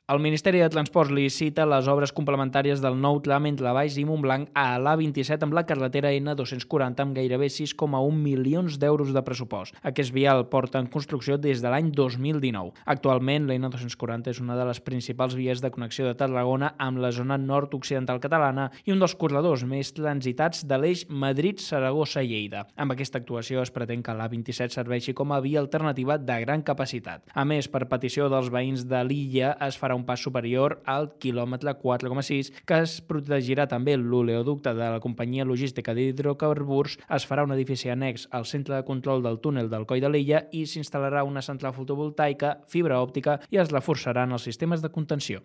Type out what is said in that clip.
El Ministeri de Transports licita les obres complementàries del nou tram entre Valls i Montblanc a l'A27 amb la carretera N240 amb gairebé 6,1 milions d'euros de pressupost. Aquest vial porta en construcció des de l'any 2019. Actualment, la N240 és una de les principals vies de connexió de Tarragona amb la zona nord-occidental catalana i un dels corredors més transitats de l'eix Madrid-Saragossa-Lleida. Amb aquesta actuació es pretén que l'A27 serveixi com a via alternativa de gran capacitat. A més, per petició dels veïns de l'illa, es farà un pas superior al quilòmetre 4,6 que es protegirà també l'oleoducte de la companyia logística d'hidrocarburs, es farà un edifici annex al centre de control del túnel del Coll de l'Illa i s'instal·larà una central fotovoltaica, fibra òptica i es reforçaran els sistemes de contenció.